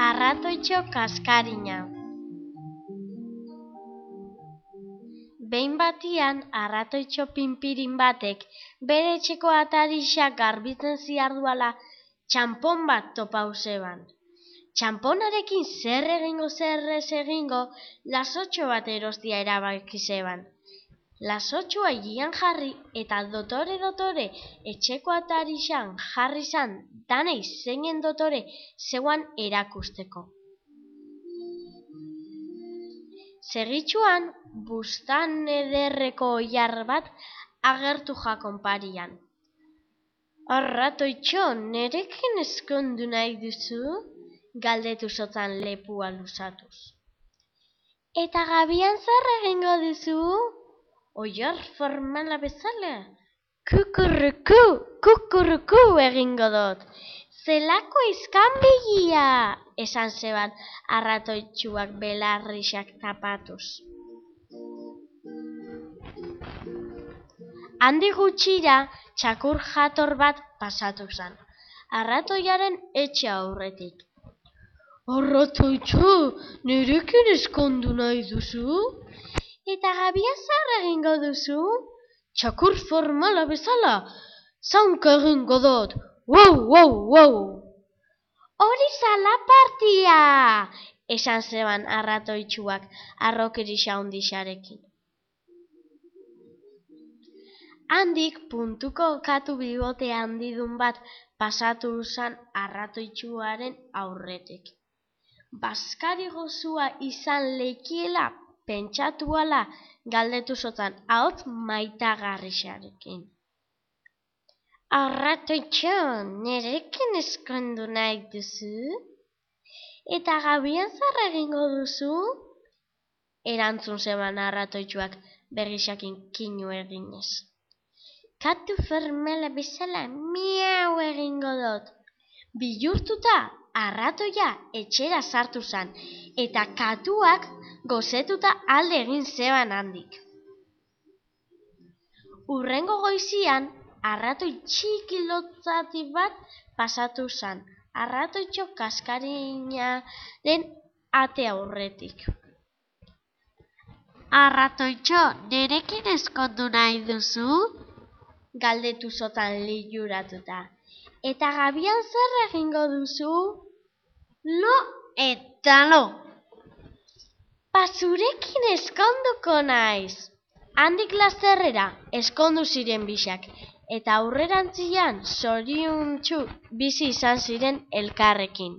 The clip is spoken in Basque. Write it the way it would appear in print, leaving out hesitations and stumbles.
Arratoitxo kaskarina. Behin batian, arratoitxo pinpirin batek bere etxeko atarixa garbitzen ziarduala txanpon bat topau zeban. Txanponarekin zer ez egingo, lasotxo bat erostia erabaki zeban. Lasotxoa higian jarri eta dotore etxeko atarixan jarri zan danei zeinen dotore zeuan erakusteko. Segitxuan, bustan ederreko oilar bat agertu jakon parian. Arratoitxo, nerekin ezkondu nahi duzu? Galdetu zotzan lepua luzatuz. Eta gabian zer egingo duzu? Oilar formala bezala? Kukurruku, kukurruku egingo dut. Zelako izkanbegia, esan zeban arratoitxuak belarrixak tapatuz. Handi gutxira, txakur jator bat pasatu zan, arratoiaren etxe aurretik. Arratoitxo, nerekin ezkondu nahi duzu? Eta gabian zer egingo duzu? Txakur formala bezala, zaunka egingo dut. Wow! Hori zalapartia, esan zeban arratoitxuak arrokerixa handixarekin. Handik puntuko katu bibote handidun bat pasatu zan arratoitxuaren aurretik. Bazkari gozua izan lekiela pentsatuala galdetu zotzan ahots maitagarrixarekin. Arratoitxo, nerekin ezkondu nahi duzu? Eta gabian zer egingo duzu? Erantzun zeban arratoitxuak berrixakin kinu eginez. Katu formala bezala miau egingo dut. Bihurtuta arratoia etxera sartu zan eta katuak gozetuta alde egin zeban handik. Hurrengo goizian, arratoi txiki lotzati bat pasatu zan, arratoitxo kaskarinaren ate aurretik. Arratoitxo, nerekin ezkondu nahi duzu? Galdetu zotan liluratuta. Eta gabian zer egingo duzu? Lo eta lo! Zurekin ezkonduko naiz. Handik lasterrera ezkondu ziren bisak, eta aurrerantzian zoriontsu bizi izan ziren elkarrekin.